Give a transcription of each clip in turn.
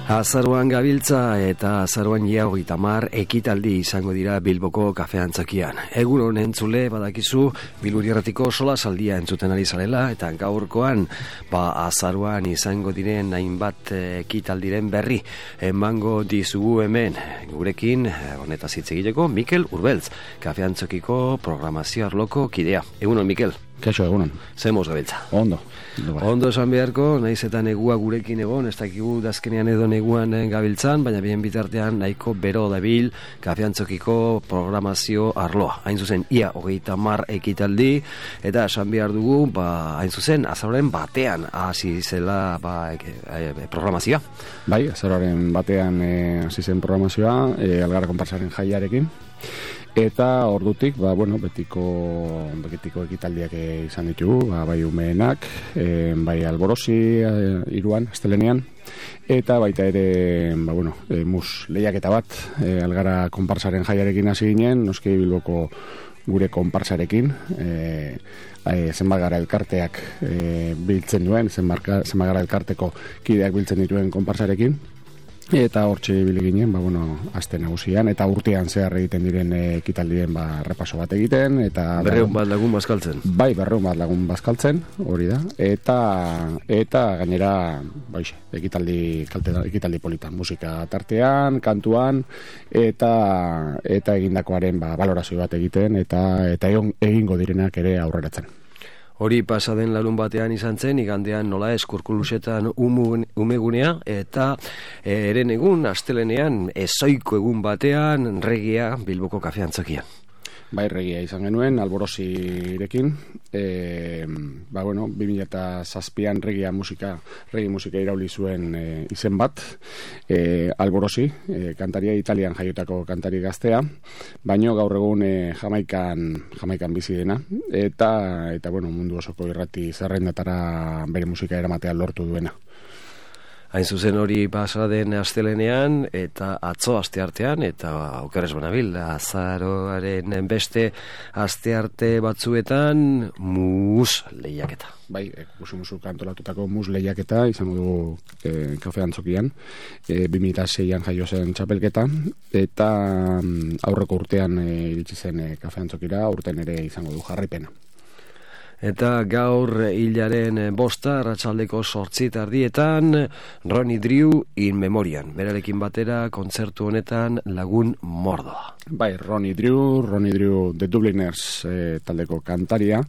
Azaroan gabiltza eta azaroan ia 30 ekitaldi izango dira Bilboko Kafe Antzokian. Egun honen entzule badakizu Bilburi Irratiko solasaldia entzuten ari zarela eta gaurkoan azaroan izango diren hainbat ekitaldiren berri emango dizugu hemen gurekin honetaz hitz egiteko Mikel Urbeltz, Kafe Antzokiko programazio arloko kidea. Egunon Mikel. Kaixo, egunon. Zemoz gabiltza. Ondo. Ondo esan beharko, nahiz eta negua gurekin egon, ez dakigu dazkenean edo neguan gabiltzan, baina bien bitartean nahiko bero dabil Kafe Antzokiko programazio arloa. Hain zuzen, ia 30 ekitaldi, eta esan behar dugu, hain zuzen, azaroaren batean hasi zela programazioa. Bai, azaroaren batean hasi zen programazioa, Algarra konparsaren jaiarekin. Eta ordutik, betiko ekitaldiak izan ditugu, bai umeenak, bai alborosi iruan, astelenean, eta baita ere, mus lehiaketa bat, Algarra konparsaren jaiarekin hasi ginen, noski Bilboko gure konparsarekin, zenbat gara elkarteak biltzen duen, zenbat gara elkarteko kideak biltzen dituen konparsarekin, eta hortxe ibili ginen, aste nagusian, eta urtean zehar egiten diren ekitaldien repaso bat egiten, eta 200 bat lagun bazkaltzen. Bai, 200 bat lagun bazkaltzen, hori da, eta gainera, ekitaldi polita, musika tartean, kantuan, eta egindakoaren balorazio bat egiten, eta egingo direnak ere aurreratzen. Hori pasaden larun batean izan zen, igandean nola eskurkulusetan umegunea, eta eren egun, astelenean, ezoiko egun batean, regia Bilboko Kafe Antzokian. Bai, regia izan genuen, alborozirekin, 2007an regia musika irauli zuen izen bat, alborozi, kantaria Italian jaiotako kantari gaztea, baino gaur egun Jamaikan bizi dena, eta mundu osoko irrati zerrendatara bere musika eramatea lortu duena. Hain zuzen hori pasaden astelenean eta atzo asteartean eta okeres banabil azaroaren beste astearte batzuetan mus lehiaketa. Bai, musu kantolatutako mus lehiaketa izango dugu Kafe Antzokian, 2006an jaio zen txapelketa, eta aurreko urtean iritsi zen Kafe Antzokira, urten ere izango du jarraipena. Eta gaur hilaren 5 arratsaldeko 8:00 Ronnie Drew in memoriam. Berarekin batera kontzertu honetan lagun mordoa. Bai, Ronnie Drew The Dubliners taldeko kantaria,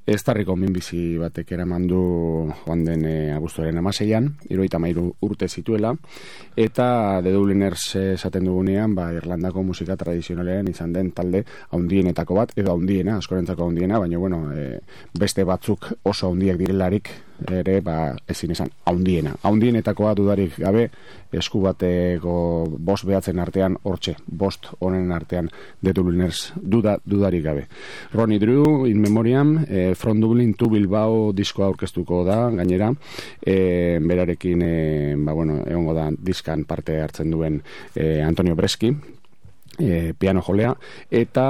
Estarriko minbizi batek eramandu joan den abuztuaren 16an, 73 urte zituela, eta The Dubliners esaten dugunean, Irlandako musika tradizionalean izan den talde haundienetako bat, edo haundiena, askorentzako haundiena, baina beste batzuk oso haundiak direlarik ere, ezin esan haundiena. Haundienetakoa dudarik gabe, esku bateko 5 behatzen artean, hortxe, 5 honen artean The Dubliners dudarik gabe. Ronnie Drew in memoriam, From Dublin to Bilbao diskoa aurkeztuko da, gainera, berarekin egongo da diskan parte hartzen duen Antonio Breschi, piano jolea, eta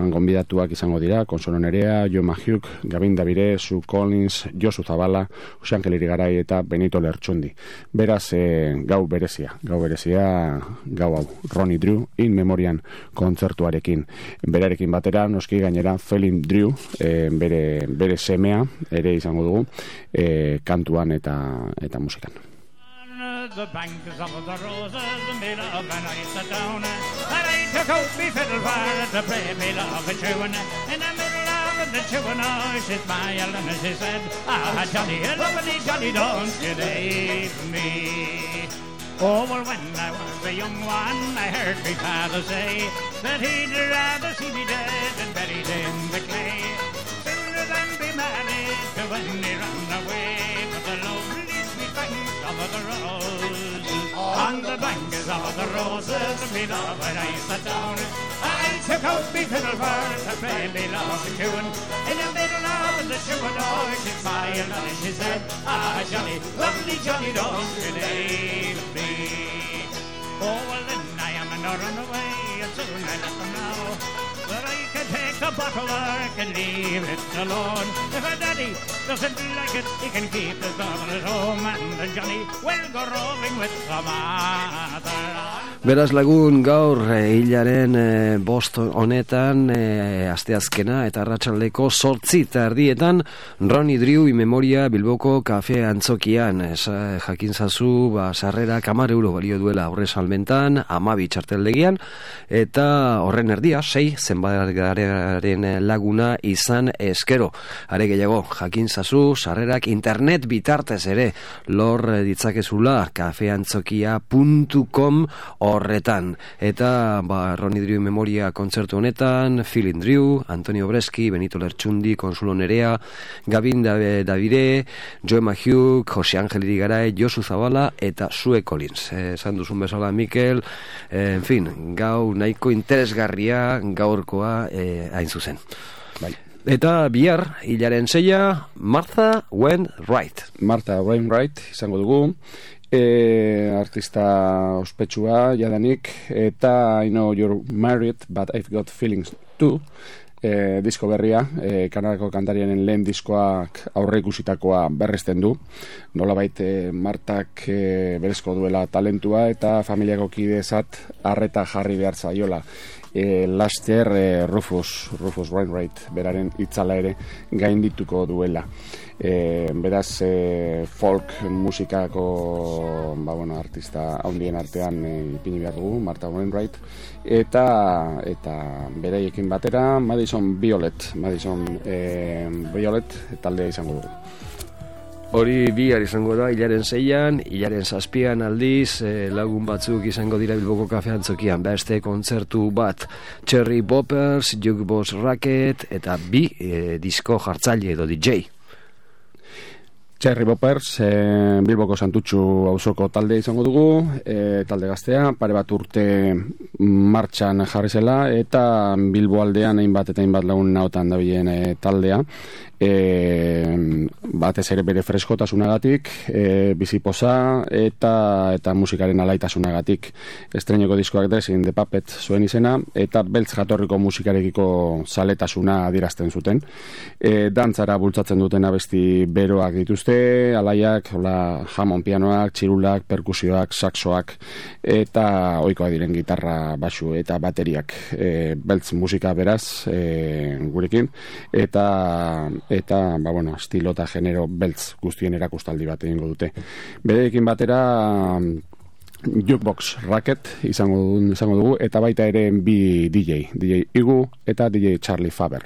gonbidatuak izango dira Consuelo Nerea, Jon Mahiuk, Gavin Davire, Sue Collins, Josu Zabala, Jose Angel Irigaray eta Benito Lertxundi. Beraz, gau berezia, gau hau, Ronnie Drew in memoriam kontzertuarekin. Berarekin batera, noski gainera, Felin Drew, bere semea, ere izango dugu, kantuan eta musikan. The bankers of the roses, the middle of the night sat down, and I took out me fiddle bar to play me love a tune. In the middle of the tune, oh, she smiled and she said, Johnny, lovely Johnny, don't you leave me. Oh, well, when I was a young one, I heard my father say that he'd rather see me dead than buried in the clay, sooner than be married to any runaway from the lonely sweet banks of the rose. On the banks of the roses, me love, and I sat down. I took out me fiddle for to play me love a tune. In the middle of the tune, oh, she smiled and she said, Johnny, lovely Johnny, don't you leave me. Oh, well, then I am a run away, and soon I left them now. But I can take the a bottle or I can leave it alone. If a daddy doesn't like it, he can keep the bottle at home, and the Johnny will go roving with the mother. Beraz lagun gaur hilaren bost honetan asteazkena eta arratsaldeko 8:00 Ronnie Drew memoria Bilboko kafe antzokian. Jakin zazu sarrera 10 euro balio duela aurre salmentan 12 txarteldegian eta horren erdia 6 zenbataren laguna izan eskero. Are gehiago jakin zazu sarrerak internet bitartez ere lor ditzakezula kafeantzokia.com horretan. Eta Ronnie Drew memoria kontzertu honetan Philip Drew, Antonio Breschi, Benito Lertxundi, Consuelo Nerea, Gavin Davide, Joe Mahugh, Jose Angel Irigaray, Josu Zabala eta Sue Collins. Esan duzun bezala Mikel, en fin, gau nahiko interesgarria gaurkoa hain zuzen. Bai. Eta bihar, hilaren 6, Martha Wainwright. Martha Wainwright izango dugu. Artista ospetsua jadanik, eta I know you're married but I've got feelings too, disko berria, Kanadako kantariaren lehen diskoak aurreikusitakoa berresten du. Nolabait Martak berezko duela talentua eta familiako kidezat arreta jarri behar zaiola. Laster Rufus Wainwright beraren itzala ere gaindituko duela. Beraz folk musikako artista handien artean ipini behar dugu Martha Wainwright eta beraiekin batera Madison Violet taldea izango dugu. Hori bihar izango da, hilaren 6, hilaren 7 aldiz, lagun batzuk izango dira Bilboko kafe antzokian, beste kontzertu bat, Cherry Boppers, Jukebox Racket, eta 2 disko jartzaile edo DJ. Cherry Boppers, Bilboko Santutxu auzoko talde izango dugu, talde gaztea, pare bat urte martxan jarri zela, eta Bilbo aldean hainbat lagun nahotan dabilen taldea, batez ere bere freskotasunagatik, bizipoza eta musikaren alaitasunagatik. Estreineko diskoak Dressing the Puppet zuen izena, eta beltz jatorriko musikarekiko zaletasuna adierazten zuten. Dantzara bultzatzen duten abesti beroak dituzte, alaiak, jamon pianoak, txirulak, perkusioak, saxoak, eta ohikoa diren gitarra, basu eta bateriak, beltz musika beraz gurekin, eta estilo eta genero beltz guztien erakustaldi bat egingo dute. Berekin batera Jukebox Racket izango dugu, eta baita ere 2 DJ Igu eta DJ Charlie Faber.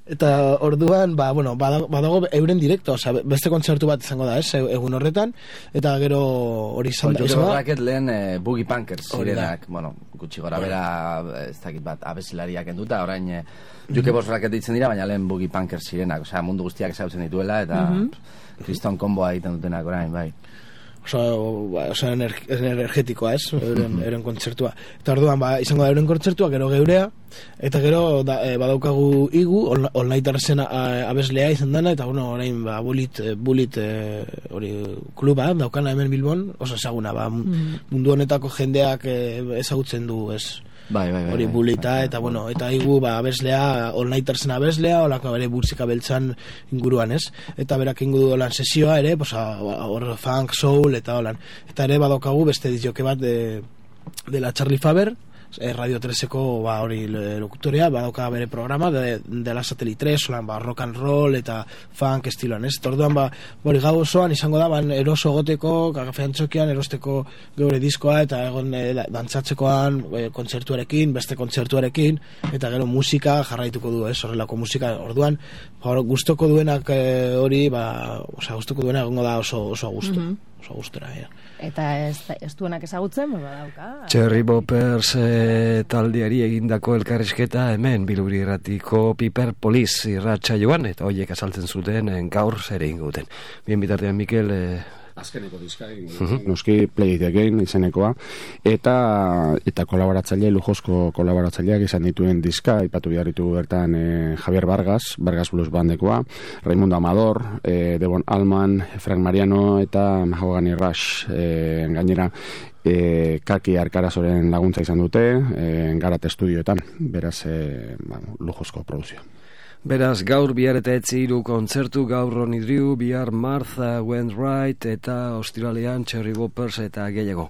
Eta orduan, badago euren direkto, beste kontzertu bat izango da, egun horretan, eta gero hori izan da. Jukebox Racket lehen Boogie Punkers zirenak, gutxi gora bera, ez dakit bat, abesilariak enduta, orain Jukebox Racket ditzen dira, baina lehen Boogie Punkers zirenak, mundu guztiak ezagutzen dituela, eta kriston komboa egiten dutenak orain, bai. Oso energetikoa, euren kontzertua. Eta orduan, izango da euren kontzertua, gero geurea, eta gero badaukagu Igu, All Nightersen abeslea izan dana, eta orain Bullet hori kluba, daukana hemen Bilbon, oso ezaguna, mundu honetako jendeak ezagutzen du, ez? Bai. Hori Bulleta, eta eta Igu abeslea, All Nightersen abeslea, olako bere burtsika beltzan inguruan, ez? Eta berak ingo du lan sesioa ere, hor funk, soul, eta holan. Eta ere badaukagu beste dizioke bat dela Charlie Faber, Radio 3eko hori lokutorea, badauka bere programa de la Satellite 3, rock and roll eta funk estiloan, ez? Orduan hori gau osoan izango da eroso goteko, kafe antzokian erosteko geure diskoa, eta egon dantzatzekoan kontzertuarekin, beste kontzertuarekin, eta gero musika jarraituko du, ez? Horrelako musika. Orduan gustoko duenak hori, gustoko duenak egongo da oso gusto. Oso gustora, Eta ez duenak ezagutzen, badauka. Cherry Boppers taldeari egindako elkarrizketa hemen Bilburi Irratiko Piper Police irratsaioan, eta horiek azaltzen zuten gaur zer egingo duten. Bien bitartean Mikel, azkeneko diska noski Play It Again izenekoa, eta kolaboratzaile, lujozko kolaboratzaileak izan dituen diska, aipatu biharritu bertan Javier Vargas Blues Bandekoa, Raimundo Amador, Devon Allman, Frank Mariano eta Mahogany Rush, gainera Kaki Arkarazoren laguntza izan dute, Garat estudioetan, beraz, lujozko produzioa. Beraz, gaur bihar eta etzi 3 kontzertu, gaur Ronnie Drew, bihar Martha Wainwright eta ostiralean Cherry Boppers eta gehiago.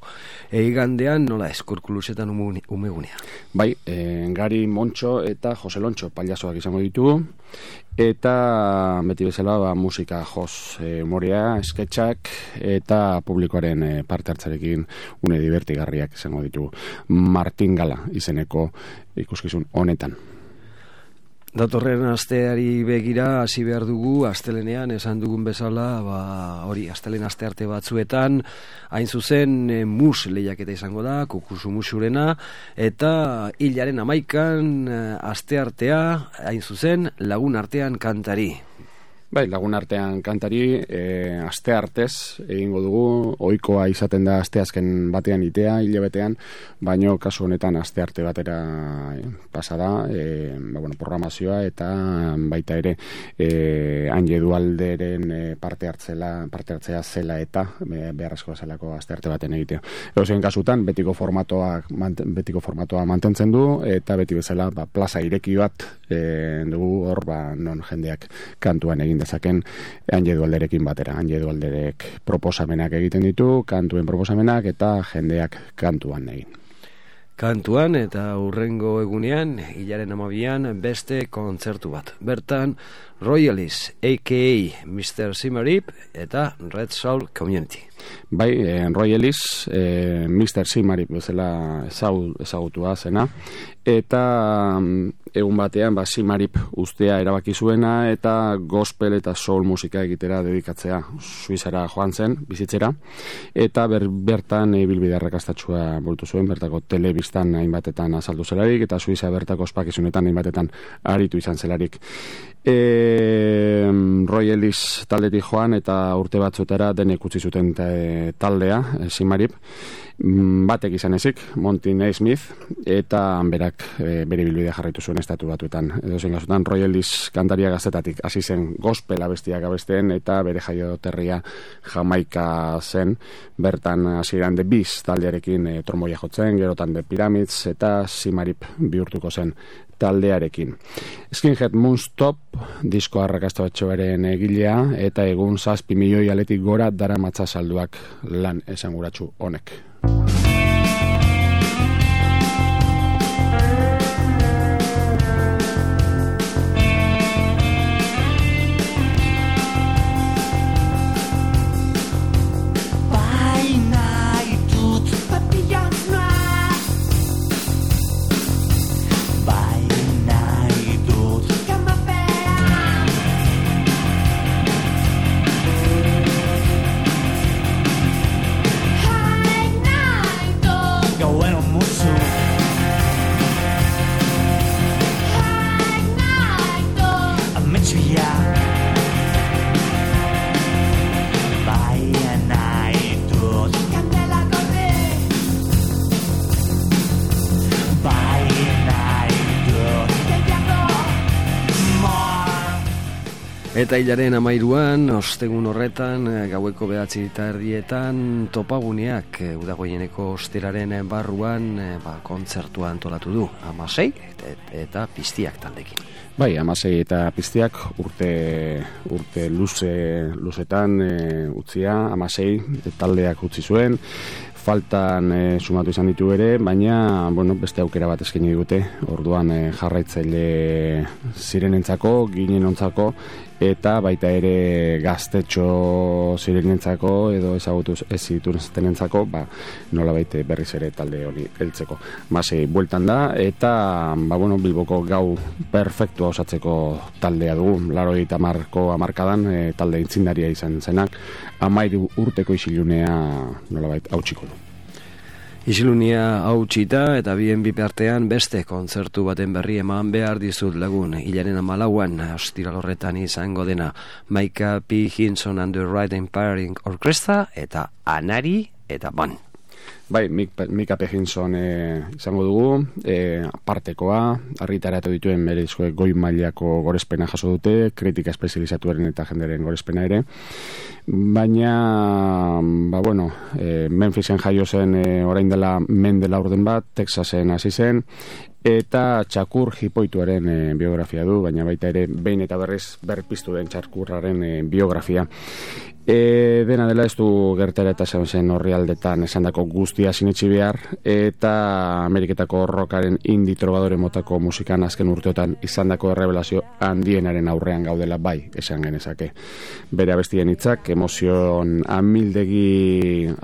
Igandean nola eskurkulusetan umegunea. Bai, Gari Montxo eta Jose Lontxo paliazoak izango ditugu, eta beti bezala musika jos humorea, sketchak eta publikoaren parte hartzarekin une divertigarriak izango ditugu. Martin Gala izeneko ikuskizun honetan. Datorren asteari begira hasi behar dugu, astelenean esan dugun bezala, astelen astearte batzuetan, hain zuzen mus lehiaketa izango da, kukusu musurena, eta hilaren 11 asteartea, hain zuzen, lagun artean kantari. Bai, lagun artean kantari, aste artez egingo dugu, ohikoa izaten da asteazken batean itea, hilabetean, baino kasu honetan aste arte batera pasada, programazioa eta baita ere Anje Dualderen parte hartzea zela eta beharrezkoa zelako aste arte baten egitea. Edozein kasutan betiko formatoa mantentzen du eta beti bezala plaza ireki bat dugu hor non jendeak kantuan egin dezaken Anje Dualderekin batera. Anje Dualderek proposamenak egiten ditu, kantuen proposamenak eta jendeak kantuan egin. Kantuan eta hurrengo egunean, hilaren 12an beste kontzertu bat. Bertan, Royalies, a.k.a. Mr. Simarip eta Red Soul Community. Bai, Royalies, Mr. Simarip bezala ezagutua zena, eta egun batean Simarip ustea erabaki zuena eta gospel eta soul musika egitera dedikatzea. Suizara joan zen, bizitzera, eta bertan ibilbide arrakastatsua burutu zuen, bertako telebistan hainbatetan azaldu zelarik, eta Suiza bertako ospakizunetan hainbatetan aritu izan zelarik. Royalies taldetik joan eta urte batzuetara denek utzi zuten taldea, Simarip, batek izan ezik, Monty Naismith, eta berak bere bilbidea jarraitu zuen estatu batuetan. Edozein kasutan, Royalies kantaria gaztetatik hasi zen gospel abestiak abesten eta bere jaioterria Jamaika zen, bertan hasieran The Beast taldearekin tromboia jotzen, gerotan The Pyramids eta Simarip bihurtuko zen taldearekin. Skinhead Moonstop disko arrakastatxoaren egilea eta egun 7 milioi aletik gora daramatza salduak lan esanguratsu honek. Eta hilaren 13an, ostegun horretan, gaueko 9:30 topaguneak udagoieneko osteraren barruan kontzertua antolatu du. 16 eta Piztiak taldekin. Bai, 16 eta Piztiak urte luzetan utzia, 16 taldeak utzi zuen. Faltan sumatu izan ditu ere, baina beste aukera bat eskaini digute. Orduan jarraitzaile zirenentzako, ginenontzako eta baita ere gaztetxo zirenentzako edo ezagutu ez zituztenentzako, nolabait berriz ere talde hori heltzeko. Masei bueltan da eta Bilboko gau perfektua osatzeko taldea dugu. 80ko hamarkadan talde aitzindaria izan zenak, 13 urteko isilunea nolabait hautsiko du. Isilunia hautsita eta bien bipartean beste kontzertu baten berri eman behar dizut lagun. Hilaren 14an ostiral horretan izango dena Micah P. Hinson and the Right Empire Orchestra eta Anari eta Ban. Bai, Mika Peginson izango dugu, apartekoa, argitaratu dituen bere diskoek goi mailako gorespena jaso dute, kritika espezializatuaren eta jenderen gorespena ere, baina, Memphisen jaio zen orain dela mendela urden bat, Texasen hasi zen, eta txakur jipoituaren biografia du, baina baita ere behin eta berriz berpiztu den txakurraren biografia. Dena dela ez du gertera eta zen horri aldetan esandako guztia sinetsi behar, eta Ameriketako rockaren indie trobadore motako musikan azken urteotan izandako errebelazio handienaren aurrean gaudela bai, esan genezake. Bere abestien hitzak emozioen amildegi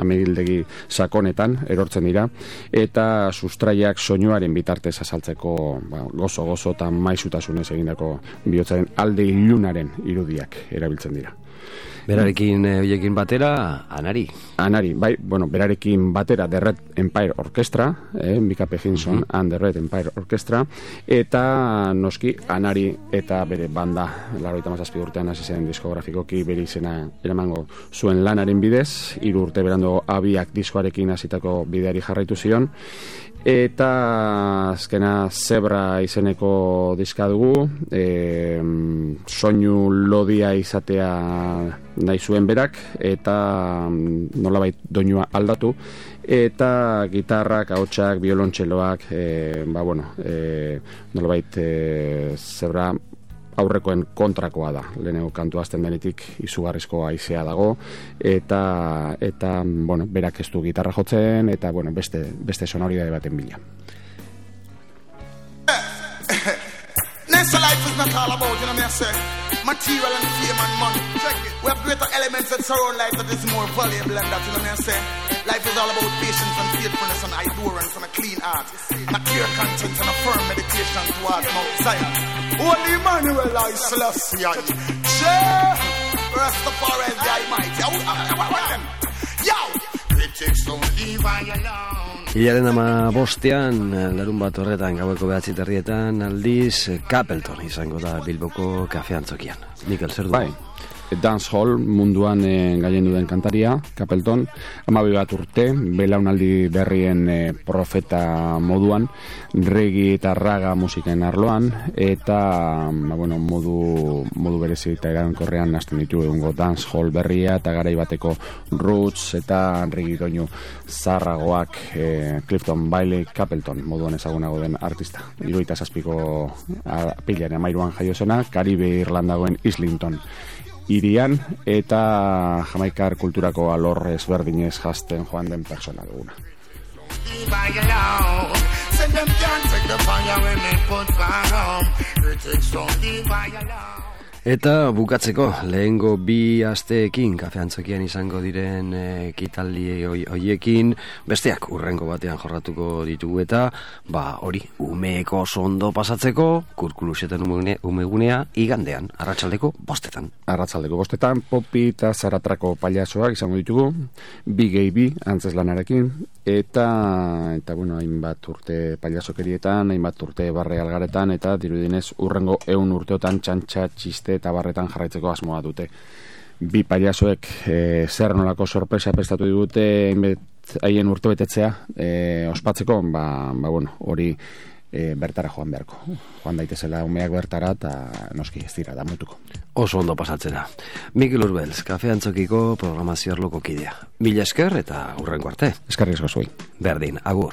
sakonetan erortzen dira, eta sustraiak soinuaren bitartez azaltzeko gozo eta maizutasunez egindako bihotzaren alde ilunaren irudiak erabiltzen dira. Berarekin hoiekin batera, Anari. Anari, bai, berarekin batera The Red Empire Orchestra, Mika Peginson and The Red Empire Orchestra, eta noski Anari eta bere banda, 87 urtean hasi zen diskografikoki bere izena eramango zuen lanaren bidez, 3 urte beranduago abiak diskoarekin hasitako bideari jarraitu zion, eta azkena Zebra izeneko diska dugu, soinu lodia izatea nahi zuen berak, eta nolabait doinua aldatu, eta gitarrak, ahotsak, biolontxeloak, nolabait Zebra aurrekoen kontrakoa da. Lehenengo kantu azten denetik izugarrizko haizea dago, eta berak ez du gitarra jotzen, eta beste sonoridade baten bila. Next life is not all about, material and fame and money. We have greater elements that surround life that is more valuable than that, Life is all about patience and faithfulness and endurance and a clean heart, and a clear conscience and a firm meditation towards Mount Zion. Holy Emmanuel, I Selassie, Rastafari is the Almighty. Yo! Critics don't leave I alone. Hilaren 15 larun bat horretan gaueko 9:00 aldiz Capleton izango da Bilboko kafeantzokian. Mikel, zer du? Bai. Dancehall munduan gaien duen kantaria, Capleton, 12 urte, belaunaldi berrien profeta moduan, reggae eta raga musiken arloan, eta modu berezi eta eraginkorrean hasten ditu egungo dancehall berria eta garai bateko roots eta reggae doinu zarragoak, Clifton Bailey Capleton moduan ezagunago den artista. 77ko apirilean 13 jaio zena, Karibe Irlandagoen Islington hirian, eta jamaikar kulturako alor ezberdinez jazten joan den persona duguna. Eta bukatzeko, lehengo 2 asteekin kafeantzokian izango diren ekitaldi hoiekin, besteak urrengo batean jorratuko ditugu eta, umeeko ondo pasatzeko, kurkuluseten umegunea, igandean, arratsaldeko 5:00. Arratsaldeko 5:00, Popi eta Zaratrako pailazoak izango ditugu, BGB antzeslanarekin, eta hainbat urte pailazokerietan, hainbat urte barre algaretan, eta dirudinez urrengo 100 urteotan txantxa, txiste eta barretan jarraitzeko asmoa dute. 2 pailazoek zer nolako sorpresa prestatu digute haien urtebetetzea ospatzeko, hori bertara joan beharko. Joan daitezela umeak bertara eta noski ez dira damutuko. Oso ondo pasatzera. Mikel Urbelz, kafeantzokiko programazio arloko kidea. Mila esker eta urrengo arte. Eskerrik asko zuei. Berdin, agur.